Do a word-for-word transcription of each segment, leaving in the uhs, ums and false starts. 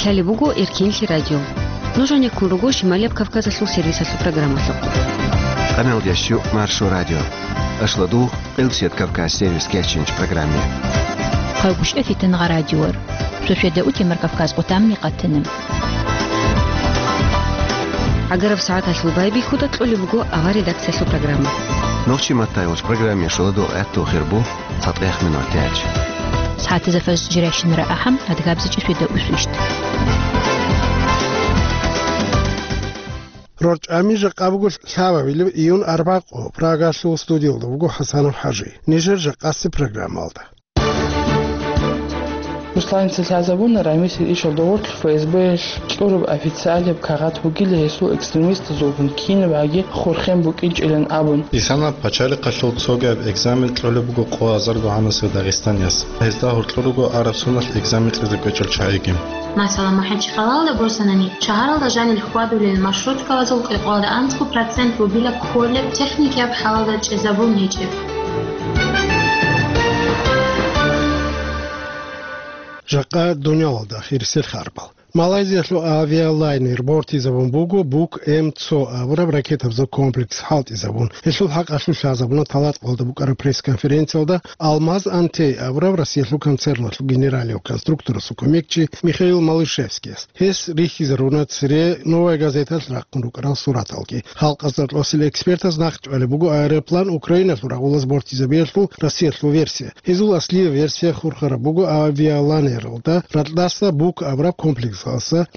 Лъалеб буго Эркинлъи радио. Нуж гьанеккун руго Шималияб Кавказалъул сервисалъул программалъухъ. Къамел ящу Маршо радио. Ашладу Къилсият Кавказ сервис кечинч программе. Хъалгущ эфитан гъа радиор. Шошеда утемар Кавказ къутамни къатана. Агараб сагӀаталъул байбихьуда кьолеб буго авар редакциялъул программа. Нохчи Маттайолч программе шуладу гӀатту хирбу. Цадгъех минутач. СагӀатазда фаз жирайщинара ахӀам, адгабзичӀи шведа усвищт. РорчӀами жакъа буго лъабабилеб июн арбакъо, Прагалъул студиялда буго ХӀасанов ХӀажи. Нижер жакъаси программалда. Русланица лъазабуна Рамисил ишал догъорлъ ФСБ-ялъ кьураб официалияб кагъат бугила гьесул экстремистазулгун кинаб гьаги хурхен букӀинчӀилан абун. Исана пачалихъалъул цогияб экзамен кьолеб буго къо азарго гьанасев дагъистанияс. Гьезда гьоркьор руго араб соналъ экзамен кьезе кӀвечӀел чагӀиги. Масала, МахӀачхъалалда босанани, шагьаралда жанил хьвадулел маршруткабазул кӀикъоялда анцӀго процент бугила кколеб техникияб хӀалалда чӀезабун гьечӀеб. Жакъа дуниялалда хирисел харбал. Малайзиялъул авиалайнер бортизабун буго Бук М цо абураб ракетабазул комплекс хӀалтӀизабун. Гьелъул хӀакъалъулъ лъазабуна Талаткъалда букӀараб пресс-конференциялда Алмаз Антей абураб Россиялъул концерналъул генералияв конструкторасул кумекчи Михаил Малышевскияс. Гьес рихьизаруна цере «Новая газеталъ» рахъун рукӀарал сураталги. Халкъазда кьосел экспертаз нахъчӀвалеб буго аэроплан Украиналъул рагъулаз бортизабиялъул Россиялъул версия. Гьезул аслияб версия хурхараб буго авиалайнералда ракьдаса Бук абураб комплексалъа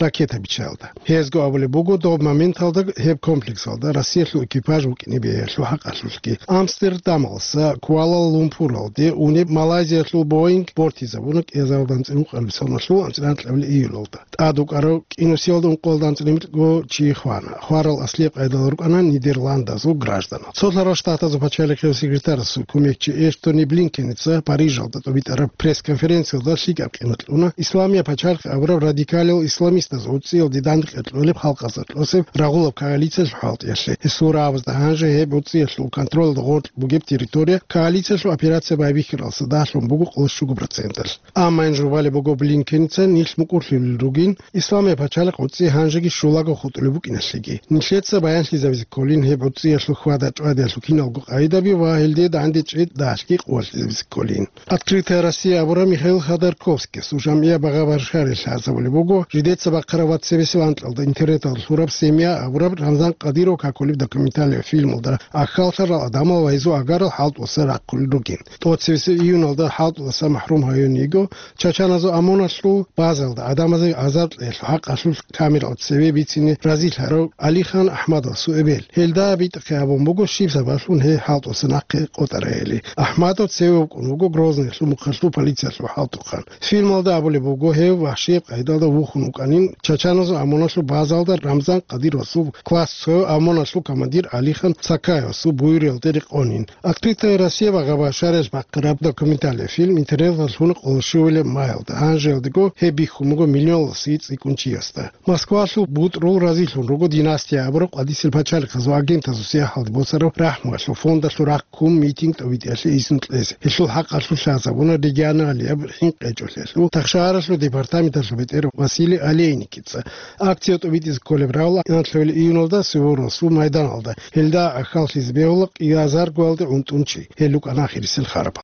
ракета биччаялда. Гьезго абулеб буго, доб моменталда гьеб комплексалда Россиялъул экипаж вукӀине бегьулъул хӀакъалъулъги. Амстердамалъа Куала-Лумпуралде унеб Малайзиялъул Боинг бортизабуна кӀиазарилда анцӀила ункъабилеб соналъул анцӀила анкьабилеб июлалда. ТӀад вукӀарав кӀинусиялда ункъоялда анцӀила микьго чи хвана. Хварал аслияб къайдалда рукӀана Нидерландазул гражданал. Цолъарал Штатазул пачалихъияв секретарасул кумекчи Энтони Блинкеница Парижалда тӀубитӀараб пресс-конференциялда лъикӀаб къимат кьуна Исламияб пачалихъ абураб радикалиял исламистазул гӀуцӀиялде дандекъе кьолеб халкъазда кьосеб рагъулаб коалициялъул хӀалтӀиялъе. Гьесул рагӀабазда гьанже гьеб гӀуцӀиялъул контролалда гъоркь бугеб территория коалициялъул операция байбихьаралдаса дагьлъун буго къоло щуго проценталъ. Амма гьанже балеб буго Блинкеница нилъ мукӀурлъулел ругин, Исламияб пачалихъ гӀуцӀи гьанжеги щулаго хутӀулеб букӀиналъеги. Нилъеца баянлъизабизе кколин гьеб гӀуцӀиялъул хьвада-чӀвадиялъул киналго къагӀидаби ва гьелде дандечӀей дагьлъги къуваталъизабизе кколин. «Открытая Россия» абураб Михаил Ходорковскиясул жамгӀияб багъа-башариялъ лъазабулеб буго, жидеца бахъараб вацебесеб анкьалда интернеталда лъураб «Семья» абураб Рамзан Къадиров какулеб документалияб фильмалда ахьаллъарал гӀадамал ва гьезул агарал хӀалтӀуса рахъулел ругин. ТӀоцебесеб июналда хӀалтӀуласа махӀрум гьаюн йиго Чачаназул ОМОНалъул базалда гӀадамазе азар кьеялъул хӀакъалъулъ камерал цеве бицине разилъарав Алихан Ахмадовасул эбел. Гьелда битӀахъе гьабун буго щиб сабаблъун гьей хӀалтӀуса нахъе къотӀарайили. Ахмадов цеве вукӀун вуго Грозныйлъул мухъалъул полициялъул хӀалтӀухъан. Фильмалда абулеб буго, гьев вахщияб къайдалда вухун вукӀанин Чачаназул ОМОНалъул базалда Рамзан Къадировасул класс цояв ОМОНалъул командир Алихан Сакаевасул буюралде рекъонин. «Открытая Россия» багъа-башариялъ бахъараб документалияб фильм интернеталда лъуна къоло щуабилеб маялда. Гьанжеялдего гьеб бихьун буго миллионлъи цӀикӀкӀун чиясда. Москвалъул бутӀрул разилъун руго «Династия» абураб къватӀисел пачалихъазул агентазул сияхӀалде босараб рахӀмуялъул фондалъул рахъ ккун митинг тӀобитӀиялъе изну кьезе. Гьелъул хӀакъалъулъ лъазабуна регионалияб хӀинкъичӀолъиялъул тахшагьаралъул департаменталъул бетӀер Василий Олейникица. Акция тӀобитӀизе кколеб рагӀула анлъабилеб июналда Суворовасул майданалда. Гьелда ахьаллъизе бегьула кӀиазаргоялде гӀунтӀун чи. Гьел рукӀана ахирисел хараб.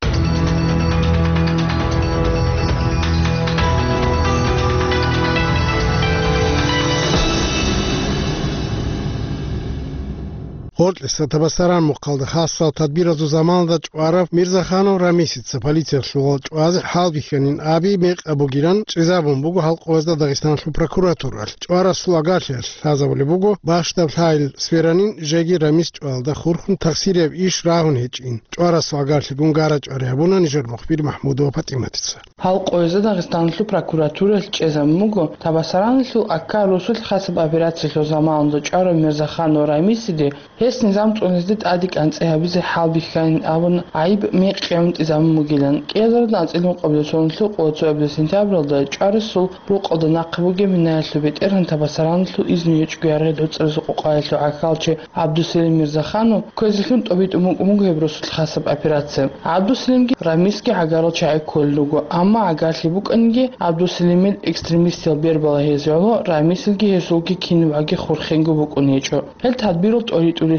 Гъоркьиса Табасаран мухъалда хасал тадбиразул заманалда чӀварав Мирзаханов Рамисица полициялъул чӀвазе хӀалбихьанин аби мекъаб бугилан чӀезабун буго халкъ гьезда Дагъистаналъул прокуратуралъ. ЧӀварасул агарлъиялъ лъазабулеб буго, бащдаб лъагӀел сверанин жеги Рамис чӀвалда хурхун тахсирияб иш рагьун гьечӀин. ЧӀварасул агарлъигун гара-чӀвари гьабуна нижер мухбир МахӀмудова ПатӀиматица. Халкъ гьезда Дагъистаналъул прокуратуралъ чӀезабун буго Табасараналъул Акка росулъ хасаб операциялъул заманалда чӀварав Мирзаханов Рамисиде Гьес низам цӀунизе тӀаде кӀанцӀи гьабизе хӀалбихьанин абун гӀайиб мекъи гӀунтӀизабун бугилан. КӀиазарда анцӀила ункъабилеб соналъул къоялъ цоябилеб сентябралда ЧӀварасул рукъалда нахъе бугеб минаялъул бетӀергьан Табасараналъул изну гьечӀого яргъи гӀуцӀаразул къокъаялъул гӀахьалчи ГӀабдусалим Мирзаханов кквезелъун тӀобитӀун букӀун буго гьеб росулъ хасаб операция. ГӀабдусалимги Рамисги гӀагарал чагӀи кколел руго, амма гӀагарлъи букӀаниги, ГӀабдусалимил экстремистиял бер балагьизе гӀоло, Рамисилги гьесулги кинабгӀаги хурхенго букӀун гьечӀо. Гьел тадбирал тӀоритӀулелъул,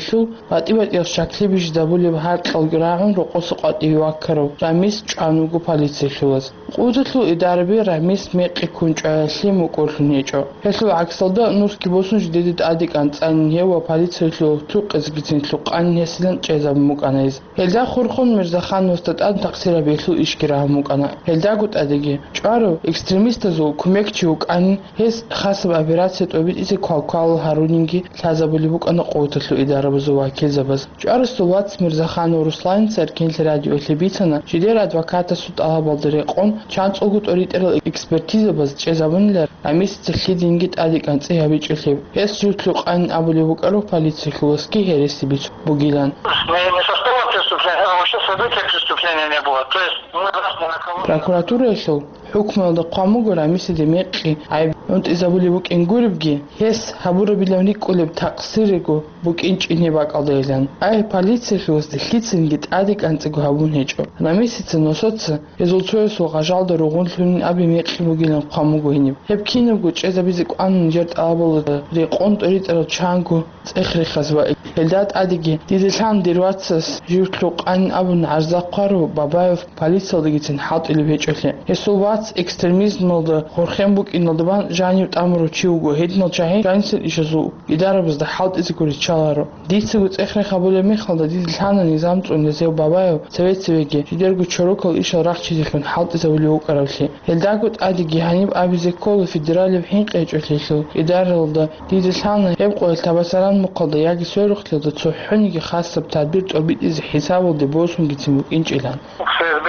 батӀи-батӀиял щаклъи бижизабулеб гьаркьалги рагӀун рокъоса къватӀиве ваккарав Рамис чӀван вуго полициялъулаз. Къуваталъул идараби Рамис мекъи ккун чӀваялъе мукӀурлъун гьечӀо. Гьелъул гӀаксалда, нусги босун жидеде тӀаде кӀанцӀанин гьев ва полициялъул гьоркьоб цукъизегицин лъукъанин гьесилан чӀезабун букӀана гьез. Гьелда хурхун Мирзахановасда тӀад такъсир гьабиялъул ишги рагьун букӀана. Гьелдаго тӀадеги, чӀварав экстремистазул кумекчи вукӀанин, гьес хасаб операция тӀобитӀизе квалквалал гьарунинги лъазабулеб букӀана къуваталъул идарабазул вакилзабаз. ЧӀварасул вац Мирзаханов Русланица Эркенлъи радиоялъе бицана, жидер адвокатасул тӀалабалда рекъон, чанцӀулго тӀоритӀарал экспертизабаз чӀезабунилан Рамисица лъидинги тӀаде кӀанцӀи гьабичӀелъул. Гьес жив лъукъанин абулеб букӀараб полициялъуласги гьереси бицун бугилан. Не, не составом преступления, а вообще события преступления не было. То есть мы раз ни на кого не Прокуратураялъул хӀукмуялда хъван буго Рамисиде мекъи гӀайиб гӀунтӀизабулеб букӀин гуребги, гьес гьабурабилан рикӀкӀунеб такъсирго букӀинчӀин гьеб бакӀалдайилан. Ай, полициялъуласда лъицанги тӀаде кӀанцӀиго гьабун гьечӀо. Рамисица носоца гьезул цоясул гъажалда ругъунлъунин абе мекъи бугилан хъван буго гьениб. Гьеб кинабго чӀезабизе кӀванин жер тӀалабалда рекъон тӀоритӀарал чанго цӀех-рехаз ва гьелда тӀадеги, дида лъан дир вацас жив лъукъанин абун гӀарза хъварав Бабаев полициялдагицин хӀалтӀулеб гьечӀолъи. Гьесул вац экстремизмалда хурхен букӀиналда бан жанив тӀамурав чи вуго, гьединал чагӀи жанисел ишазул идарабазда хӀалтӀизего риччаларо. Дицаго цӀех-рех гьабулеб мехалда дида лъана низам цӀунизе Бабаев цеве-цевеги жидерго чорокал ишал рахчизехун хӀалтӀизабулев вукӀаравлъи. Гьелдаго тӀадеги гьаниб абизе ккола федералияб хӀинкъи гьечӀолъиялъул идаралда. Дида лъана гьеб къоялъ Табасаран мухъалда яги сверухълъиялда цохӀониги хасаб тадбир тӀобитӀизе хӀисабалде босунгицин букӀинчӀилан. К ФСБ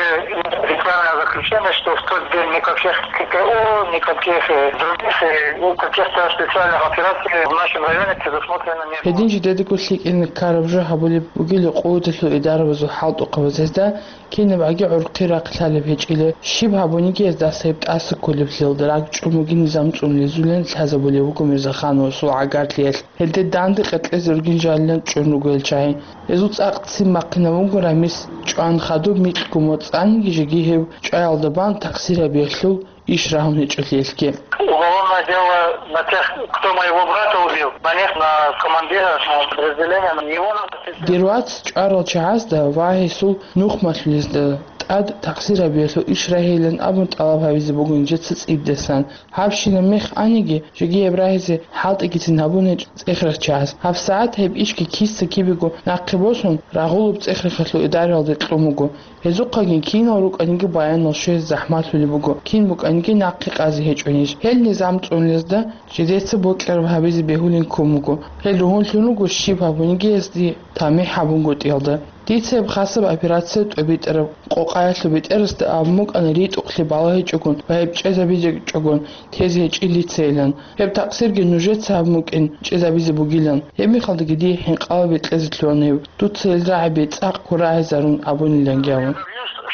принципиальное заключение, что в тот день никаких К К О, никаких, э, других, э, ну, каких-то специальных операций в нашем районе предусмотрено не было. Гьедин жидедаго лъикӀин ккараб жо гьабулеб бугила къуваталъул идарабазул хӀалтӀухъабаз гьезда, кинабгӀаги гӀурхъи рахъ лъалеб гьечӀила, щиб гьабуниги гьездаса гьеб тӀаса кколеблъиялда ракӀчӀун бугин низам цӀунизе лъазабулеб буго Мирзахановасул гӀагарлъиялъ. Гьелде данде къеркьезе ругин жалилан чӀун руго гьел чагӀи. Гьезул цӀакъ ццин бахъинаб буго Рамис чӀван хадуб микьго моцӀаниги жеги гьев чӀваялда бан такъсир гьабиялъул иш рагьун гьечӀолъиялъги. Уголовное дело на тех, кто моего брата убил, на них, на командира, на подразделения, на него надо. Дир вац чӀварал чагӀазда ва гьесул нухмалъулезда тӀад такъсир гьабиялъул иш рагьейилан абун тӀалаб гьабизе буго нижеца цӀибдасан. Гьабщинаб мех аниги, жеги гьеб рагьизе хӀалтӀигицин гьабун гьечӀо цӀех-рехчагӀаз. ГьабсагӀат гьеб ишги киса-кибего нахъе босун, рагъулаб цӀех-рехалъул идараялде кьун буго. Гьезухъаги кинал рукӀаниги баянал щвезе захӀмалъулеб буго, кин букӀаниги нахъе къазе гьечӀо ниж. Гьел низам цӀунизе жидеца бокьараб гьабизе бегьулин ккун буго. Гьел ругьунлъун руго щиб гьабуниги гьезде тамихӀ гьабунгутӀиялда. Дица гьеб хасаб операция тӀобитӀараб къокъаялъул бетӀерасда абун букӀана ритӀухълъи балагьичӀогун ва гьеб чӀезабичӀогун тезе гьечӀин дицайилан. Гьеб такъсирги нужеца гьабун букӀин чӀезабизе бугилан. Гьеб мехалдаги дие хӀинкъалаби кьезе лъугьана гьев, дуца гьел рагӀаби цӀакъго рагӀизарун абуниланги абун.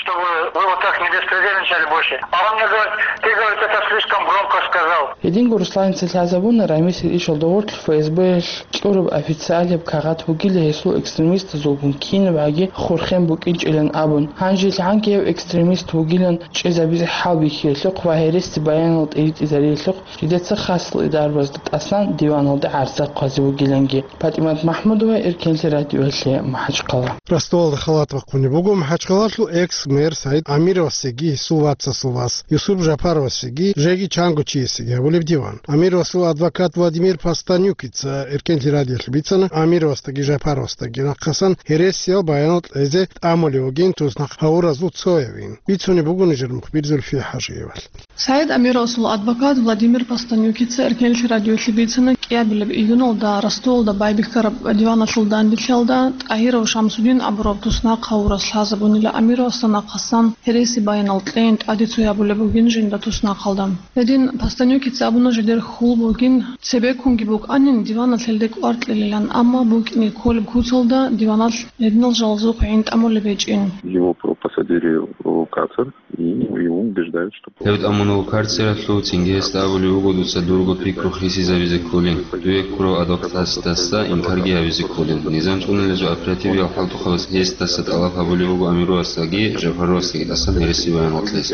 Чтобы вы вот так не беспредельничали больше. А он мне говорит: «Ты, говорит, это слишком громко сказал». Гьединго Русланица лъазабуна Рамисил ишал догъорлъ ФСБ-ялъ кьураб официалияб кагъат бугила гьесул экстремистазулгун кинабгӀаги хурхен букӀинчӀилан абун. Гьанжелъ гӀанги гьев экстремист вугилан чӀезабизе хӀалбихьиялъухъ ва гьереси баянал тӀиритӀизариялъухъ жидеца хасал идарабазда тӀасан диваналда гӀарза хъвазе вугиланги. ПатӀимат МахӀмудова, Эркенлъи радиоялъе, МахӀачхъала. Ростовалда халат бахъунеб буго МахӀачхъалалъул экс-мэр Саид Амировасеги гьесул вацасул вас Юсуп Жапаровасеги жеги чанго чиясеги гьабулеб диван. Амировасул адвокат Владимир Постанюкица Эркенлъи радиоялъе бицана, Амировасдаги Жапаровасдаги нахъасан гьересиял баянал кьезе тӀамулев вугин туснахъ гьавуразул цоявин. Бицунеб буго нижер мухбир Зульфия ХӀажиевалъ. Саид Амировасул адвокат Владимир Постанюкица Эркенлъи радиоялъе бицана, кӀиабилеб июналда Ростовалда байбихьараб диваналъул данделъиялда ТӀагьиров Шамсудин абураб туснахъ гьавурас лъазабунила Амировасда нахъасан гьереси Баянал кьейин тӀаде цо гьабулеб бугин жинда туснахъалда. Гьедин Постанюкица абуна жидер хьул бугин, цебеккунги букӀанин диваналъ гьелде кӀвар кьелилан, амма букӀине кколеб куцалда диваналъ гьединал жалазухъ гӀин тӀамулеб гьечӀин. Его про-, посадили в карцер, и его убеждают, что... Гьев тӀамуна карцералъув, цинги гьесда абулеб буго: «Дуца дурго пикру хисизабизе кколин, дуе ккурав адвокатасдаса инкарги гьабизе кколин». Низам цӀунулезул оперативиял хӀалтӀухъабаз гьесдаса тӀалаб гьабулеб буго Амировасдаги Жапаровасдаги тӀасан гьереси баян гьоркьес.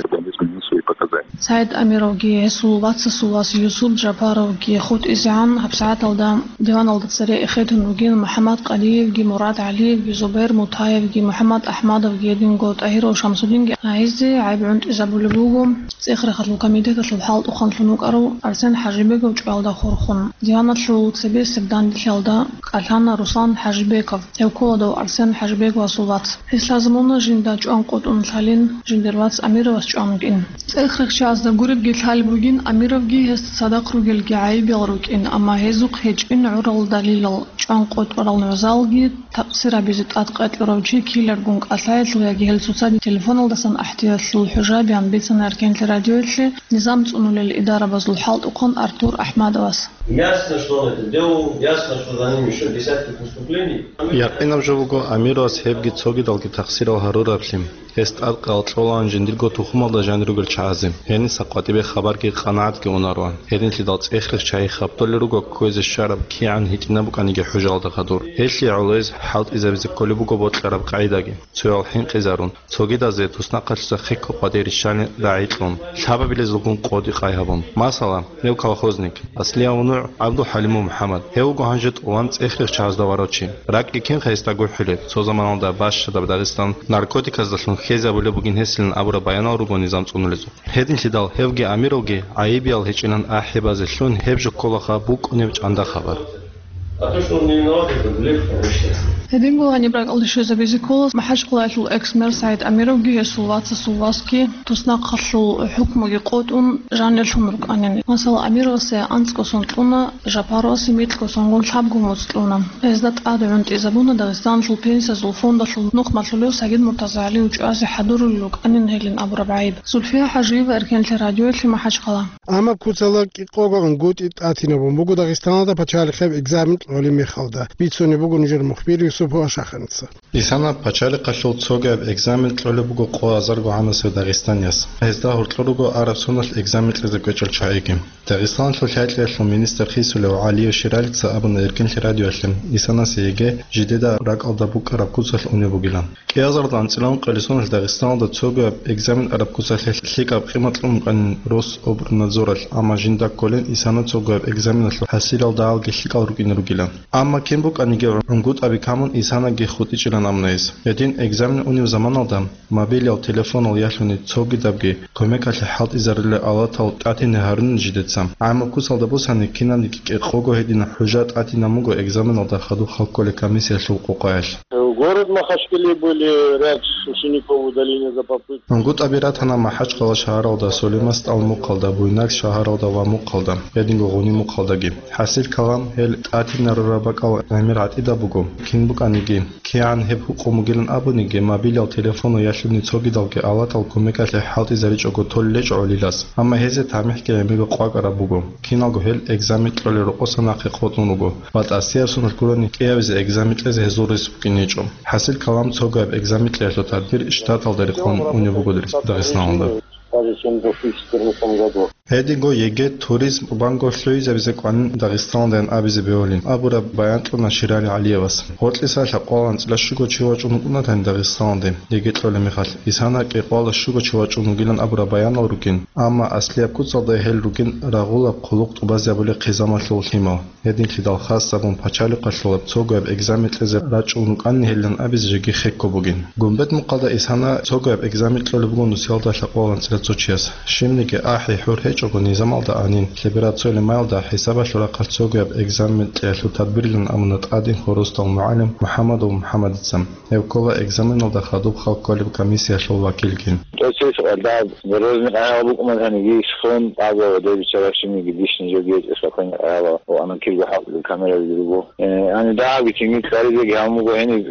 Саид Амировги гьесул вацасул вас Юсуп Жапаровги хутӀизегӀан гьабсагӀаталда диваналда цере эхетун ругин МухӀаммад Къадиевги, Мурад ГӀалиевги, Зубер Мутаевги, МухӀаммад АхӀмадовги, гьединго ТӀагьиров Шамсудинги гьайизе гӀайиб гӀунтӀизабулеб буго ЦӀехрехалъул комитеталъул хӀалтӀухъанлъун вукӀарав Арсен ХӀажибегов чӀвалда хурхун. Диваналъул цебесеб данделъиялда кӀалъана Руслан ХӀажибеков, гьев ккола дов Арсен ХӀажибеговасул вац. Гьес лъазабуна жинда чӀван къотӀун лъалин, жиндир вац Амировас чӀван вукӀин. ЦӀехрехчазда гуребги лъалеб бугин, Амировги гьесда цадахъ ругелги гӀайибиял рукӀин, амма гьезухъ гьечӀин гӀурал далилал, чӀван къотӀарал нугӀзалги, такъсир гьабизе тӀад къватӀирав чи ккеларгун кӀалъаялъул яги гьел цоцазе телефоналдасан ахӀдиялъул хӀужаби гьанбицана Эркенлъи радиоялъе низам цӀунулел идарабазул хӀалтӀухъан Артур АхӀмадовас. Ясно, что он это делал, ясно, что за ним ещё десятки преступлений. Якъинаб жо буго, Амировас гьебги цогидалги такъсирал гьарурабли. Гьес тӀадкъал кьолаан жиндирго тухумалда жанир ругел чагӀазе. Гьениса къватӀибе хабарги къанагӀатги унароан. Гьединлъидал цӀехрехчайи хабтолел руго кквезе щвараб кигӀан гьитӀинаб букӀаниги хӀужалда хадур. Гьелъие гӀолоез хӀалтӀизабизе кколеб буго бокьараб къагӀидаги. Цоял хӀинкъизарун, цогидазе туснахъалъуса хехго къватӀире риччалин рагӀи кьун, лъабабилезулгун къоди-къай гьабун. Масала, гьев колхозник, аслияб нугӀ ГӀабдулхӀалимов МухӀаммад. Гьев вуго гьанже тӀолан цӀехрехчазда варав чи. РакӀги кинха гьесда гурхӀулеб? Цо заманалда бащадаб Дагъистан наркотиказдалъун хезабулеб бугин гьесилан абураб баянал руго низам цӀунулезухъ. Гьединлъидал гьевги Амировги гӀайибиял гьечӀилан ахӀи базе лъун гьеб жо кколаха букӀунеб чӀанда хабар. А то, что он не виноват, это грех, конечно. Гьединго гьаниб ракӀалде щвезабизе ккола МахӀачхъалаялъул экс-мэр СагӀид Амировги гьесул вацасул васги туснахъалъул хӀукмуги къотӀун жанирлъун рукӀанин. Масала, Амировасе анцӀго сон кьуна, Жапаровасе микьго сонгун лъабго моцӀ кьуна. Гьезда тӀад гӀунтӀизабуна Дагъистаналъул пенсиязул фондалъул нухмалъулев Сагид МуртазагӀалиев чӀвазе хӀадурулел рукӀанин гьелин абураб гӀайиб. Зульфия ХӀажиева, Эркенлъи радиоялъе, МахӀачхъала. Амма куцала кӀикъого унгутӀи тӀатинабун буго Дагъистаналда пачалихъеб экзамен кьолеб мехалда, бицунеб буго нужер мухбир Юсуп Вашаханица. Исана пачалихъалъул цогияб экзамен кьолеб буго къо азарго гӀанасев дагъистанияс. Гьезда гьоркьор руго араб соналъ экзамен кьезе кӀвечӀел чагӀиги. Дагъистаналъул хӀакъалъулъ министр хисулев ГӀалиев Ширалица абуна Эркенлъи радиоялъе, Исанасе ЕГЭ жидеда ракӀалда букӀараб куцалъ унеб бугилан. КӀиазарда анцӀила ункъоялда Дагъистаналда цогияб экзамен араб куцалъе лъикӀаб къимат кьун букӀанин Рособрнадзоралъ, амма жинда кколин Исана цогияб экзаменалъул хӀасилалдалги лъикӀал рукӀине ругилан. Амма кин букӀаниги гӀунгутӀаби камун Исанаги хутӀичӀилан абуна гьес. Гьедин экзамен унев заманалда мобилиял телефонал ялъуни цогидабги кумекалъе хӀалтӀизарулел алатал тӀатине гьарунин жидеца. ГӀаммаб куцалда босани кинабниги кӀикъого гьединаб хӀужа тӀатинаб буго экзаменалда хадуб хал кколел комиссиялъул къокъаялъ. В город Махачкале были ряд учеников удаления за попытку. ГӀунгутӀаби ратана МахӀачхъала шагьаралда, Сулейман СтӀал мухъалда, Буйнакск шагьаралда ва мухъалда, гьединго Гъуни мухъалдаги. ХӀасил калам, гьел тӀатинарураб бакӀал гӀемер гӀатӀидаб буго. Кин букӀаниги, кигӀан гьеб гьукъун бугилан абуниги, мобилиял телефонал ялъуни цогидалги алатал кумекалъе хӀалтӀизаричӀого толел гьечӀо гӀолилас, амма гьезие тамихӀги гӀемерго къвакӀараб буго. Киналго гьел экзамен кьолел рокъоса нахъе къотӀун руго ва тӀасияб соналъ гурони кӀиабизе экзамен кьезе гьезул рес букӀинчӀо. ХӀасил калам, цогияб экзамен кьеялъул тадбир штаталда рекъон унеб буго Дагъистаналда. Гьединго ЕГЭ туризм банго лъугӀизабизе кӀванин Дагъистаналдайин абизе бегьулин абураб баян кьуна Ширали ГӀалиевас. Гьоркьиса лъабкъоялда анцӀила щуго чи вачӀун вукӀунатани Дагъистаналде ЕГЭ кьолеб мехалъ, Исана кӀикъоялда щуго чи вачӀун вугилан абураб баянал ругин, амма аслияб куцалда гьел ругин рагъулаб хъулухъ тӀубазабулеб хъизамалъул лъимал. Гьединлъидал хас абун пачалихъалъулаб цогояб экзамен кьезе рачӀун рукӀанин гьелин абизе жеги хехго бугин. Гумбет мухъалда Исана цогояб экзамен кьолеб буго нусиялда лъабкъоялда анцӀила цо чияс. Щибниги ахӀи-хӀур гьечӀого низамалда гӀанин, лъебераб цоялъ майялда хӀисабалъул рахъалъ цогояб экзамен кьеялъул тадбирилан амуна тӀадин хурусдал мугӀалим МухӀаммадов МухӀаммадица. Гьев ккола экзаменалда хадуб хал кколеб комиссиялъул вакилги. ТӀоцебесеб къагӀидаялъ дорожный къагӀидал букӀуна гьаниги исхун, тӀаба ва деб биччарабщиниги дишни жоги гьечӀеб спокойный къагӀидал ва анакирго хӀакъги камералги руго. Э, гьаниб дагьабги тинги цӀаризеги гьабун буго гьениб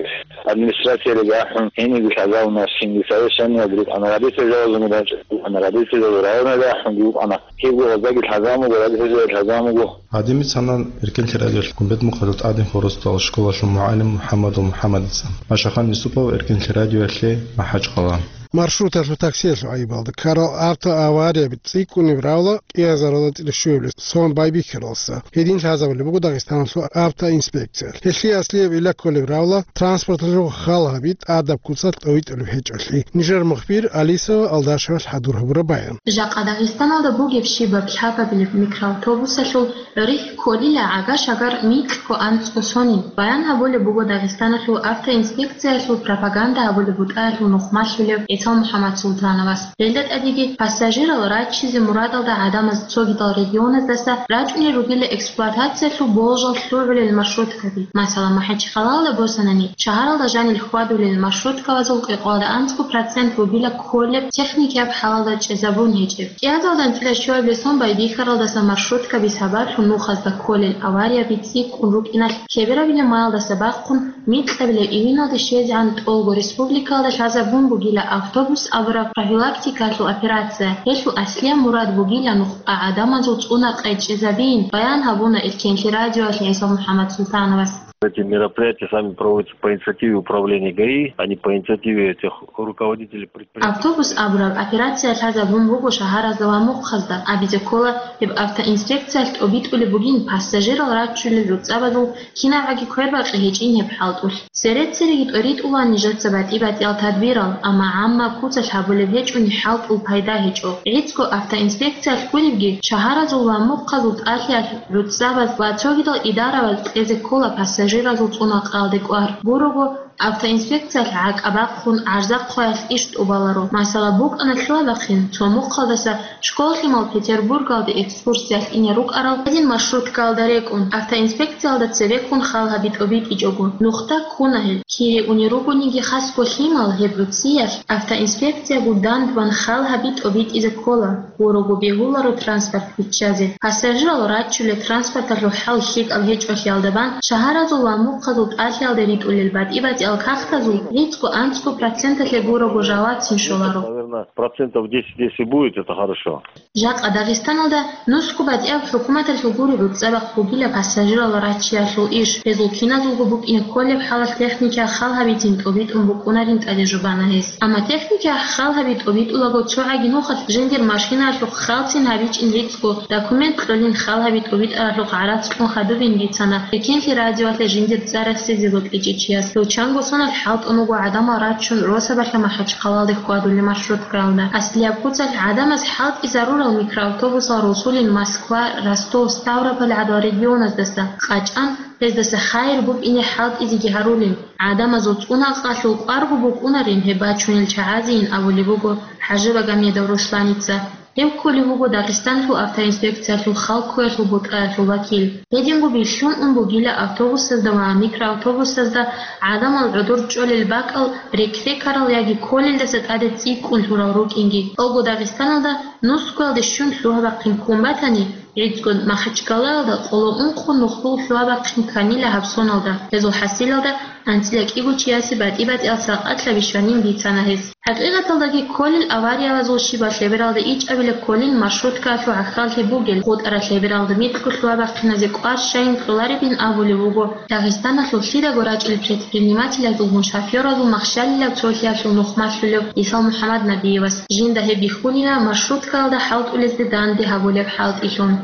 администрациялги ахӀун, гьенибги лъазабуна, цинги совещаниялги рукӀана, родительзабазунги рачӀун рукӀана, родительзабаз районалги ахӀунги рукӀана. Кибго гъоздаги лъазабун буго, родительзабаз лъазабун буго. Гьадин бицана Эркенлъи радиоялъ Гумбет-Мухъалил тӀадин хурусдал школалъул мугӀалим МухӀаммадов МухӀаммадица. Машахан Юсупов, Эркенлъи радиоялъе, МахӀачхъала. Маршруталъул таксиялъул гӀайибалда ккарал автоаварияби цӀикӀкӀунеб равла кӀиазаралда цӀилищуяблъи сон байбихьаралса. Гьедин лъазабулеб буго Дагъистаналъул автоинспекциялъ. Гьелъие аслияб гӀилла кколеб равла транспорталъул хал гьаби тӀадаб куцалъ тӀовитӀулеб гьечӀолъи. Нижер мухбир Алисова Алдашевалъ хӀадур гьабураб баян. Жакъа Дагъистаналда бугеб щибаб лъабабилеб микроавтобусалъул гӀорихь кколила гӀага-шагар микьго анцӀго сонин. Баян гьабулеб буго Дагъистаналъул автоинспекциялъул пропаганда гьабулеб бутӀаялъул нухмалъулев ГӀисал МухӀаммад Султановас. Гьелда тӀадеги пассажирал раччизе мурадалда гӀадамаз цогидал регионаздаса рачӀунел ругила эксплуатациялъул болжал лъугӀулел маршруткаби. Масала, МахӀачхъалалда босанани, шагьаралда жанил хьвадулел маршруткабазул къикъоялда анцӀго процент бугила кколеб техникияб хӀалалда чӀезабун гьечӀеб. КӀиазалда анцӀила щуабилеб сон байбихьаралдаса маршруткаби сабаблъун нухазда кколел аварияби цӀикӀкӀун рукӀиналъ, лъеберабилеб майалдаса бахъун микьабилеб июналде щвезегӀан тӀолго республикалда лъазабун бугила автобус абураб профилактикалъул операция. Гьелъул аслияб мурад бугила нухда гӀадамазул цӀунакъай чӀезабиин, баян гьабуна Эркенлъи радиоялъ ГӀисал МухӀаммад Султановас. Эти мероприятия сами проводятся по инициативе управления ГАИ, а не по инициативе этих руководителей предприятий. Автобус абураб операция лъазабун буго шагьаразда ва мухъазда. Абизе ккола, гьеб автоинспекциялъ тӀобитӀулеб бугин пассажирал раччулел ручӀабазул кинабгӀаги квербакъи гьечӀин гьеб хӀалтӀулъ. Цере-цереги тӀоритӀула нижеца батӀи-батӀиял тадбирал, амма гӀамма куцалъ гьабулеб гьечӀони хӀалтӀул пайда гьечӀо. ГӀицӀго автоинспекциялъ гуребги, шагьаразул ва мухъазул тӀалъиялъ ручӀабаз ва цогидал идараваз кьезе ккола пассажиразул цӀунакъаялде кӀвар. Гурого, автоинспекциялъ гӀакӀа бахъун гӀарзахъваялъ иш тӀубаларо. Масала, букӀана лъугьа-бахъин цо мухъалдаса школ лъимал Петербургалде экскурсиялъ ине рукӀарал гьедин маршруткаялда рекӀун, автоинспекциялда цебеккун хал гьаби тӀобитӀичӀого, нухда ккуна гьел. Кири унел ругониги хасго лъимал гьеб гӀуцӀиялъ автоинспекциябу дандбан хал гьаби тӀобитӀизе ккола, гурого бегьуларо транспорт биччазе. Пассажирал раччулел транспорталъул хӀал лъикӀаб гьечӀолъиялда бан шагьаразул ва мухъазул тӀалъиялде ритӀулел батӀи-батӀиял кагътазул гӀицӀго-анцӀго проценталъе гурого жалацин щоларо. Наверное, процентов десять, если будет, это хорошо. Жакъа Дагъистаналда нусго батӀияб хӀукуматалъул гури гӀуцӀа-бахъ бугила пассажирал раччиялъул иш. Гьезул киназулго букӀине кколеб хӀалалъ техникиял хал гьабицин тӀобитӀун букӀунарин тӀаде жубана гьес. Амма техникиял хал гьаби тӀобитӀулаго цо гӀаги нухалъ жиндир машинаялъухъ халцин гьабичӀин гӀицӀго, документ кьолин хал гьаби тӀобитӀаралъухъ гӀарац кьун хадубин бицана Эркенлъи радиоялъе жиндир цӀар рехсезе бокьичӀев чияс. Гьев чанго соналъ хӀалтӀун вуго гӀадамал рачун Росабалъа МахӀачхъалалде хьвадулел маршруткаялда. Аслияб куцалъ гӀадамаз хӀалтӀизарурал микроавтобусал росулин Москва, Ростов, Ставрополь гӀадал регионаздаса, къачӀан, гьездаса хайир букӀине хӀалтӀизеги гьарулин, гӀадамазул цӀунакъалъул кӀварго букӀунарин гьеб бачунел чагӀазейин абулеб буго ХӀажимагомедов Русланица. Гьев кколев вуго Дагъистаналъул автоинспекциялъул хал кквеялъул бутӀаялъул вакил. Гьединго бихьун ун бугила автобусазда ва микроавтобусазда гӀадамал гӀодор чӀолел бакӀал рекрекарал яги кколелдаса тӀаде цӀикӀкӀун лъурал рукӀинги. ТӀолго Дагъистаналда нусгоялде щун лъугьа-бахъин ккун батани, гӀицӀго Махачкалаялда къоло ункъо нухлул лъугьа-бахъин кканила гьаб соналда, гьезул хӀасилалда анцӀила кӀиго чиясе батӀи-батӀиял сакъатлъаби щванин бицана гьес. ХӀакъикъаталдаги кколел авариялазул щибаб лъебералда ичӀабила кколин маршруткаялъул гӀахьаллъи бугел, хутӀараб лъебералда микьго лъугьа-бахъиназе кӀвар щайин кьоларебин абулеб буго Дагъистаналъул лъидаго рачӀел предпринимателазулгун шофёразул махщалилаб цолъиялъул нухмалъулев ГӀисал МухӀаммаднабиевас. Жинда гьеб бихьулила маршруткаялда хӀалтӀулезде данде гьабулеб хӀалтӀилъун.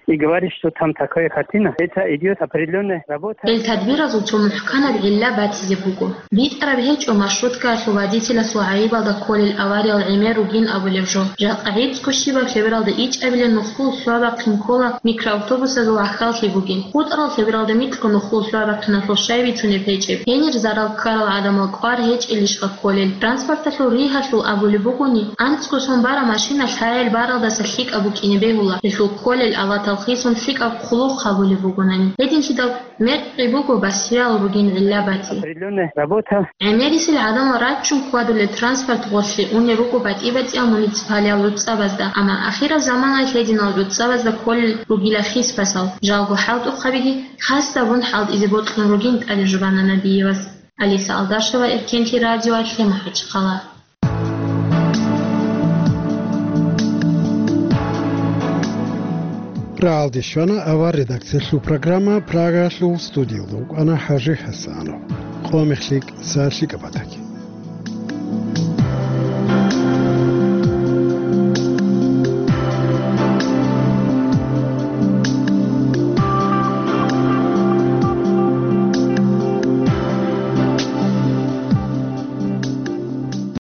И говорит, что там такая картина. Это идет определённая работа. Гьел тадбиразул цо мухӀканаб гӀилла батизе буго. БитӀараб гьечӀо маршруткаялъул водителасул гӀайибалда кколел авариял гӀемер ругин абулеб жо. Жакъа гӀицӀго щибаб лъебералда ичӀабилеб нухлул лъугьа-бахъин ккола микроавтобусазул гӀахьаллъи бугин. ХутӀарал лъебералда микьго нухлул лъугьа-бахъиналъул щай бицунеб гьечӀеб? Гьенир зарал ккарал гӀадамал кӀвар гьечӀелищха кколел? Транспорталъул ригьалъул абулеб бугони, анцӀго сон бараб машина лъагӀел баралдаса лъикӀаб букӀине бегьула, гьелъул кколел аватал хисун лъикӀаб хъулухъ гьабулеб бугонани. Гьединлъидал мекъи буго басриялъ ругин гӀилла бати. Определённая работа. ГӀемерисел гӀадамал раччун хьвадулел транспорт гъорлъе унел руго батӀи-батӀиял муниципалиял гӀуцӀабазда, амма ахираб заманаялъ гьединал гӀуцӀабазда кколел ругила хисбасал. Жалго хӀалтӀухъабиги хасабун хӀалтӀизе бокьун ругин тӀаде жубана Набиевас. Алиса Алдашева, Эркенлъи радиоялъе, МахӀачхъала. РагӀалде щвана авар редакциялъул программа. Прагаялъул студиялда вукӀана ХӀажи ХӀасанов. Къо мехлъи, са лъикӀаб батаги.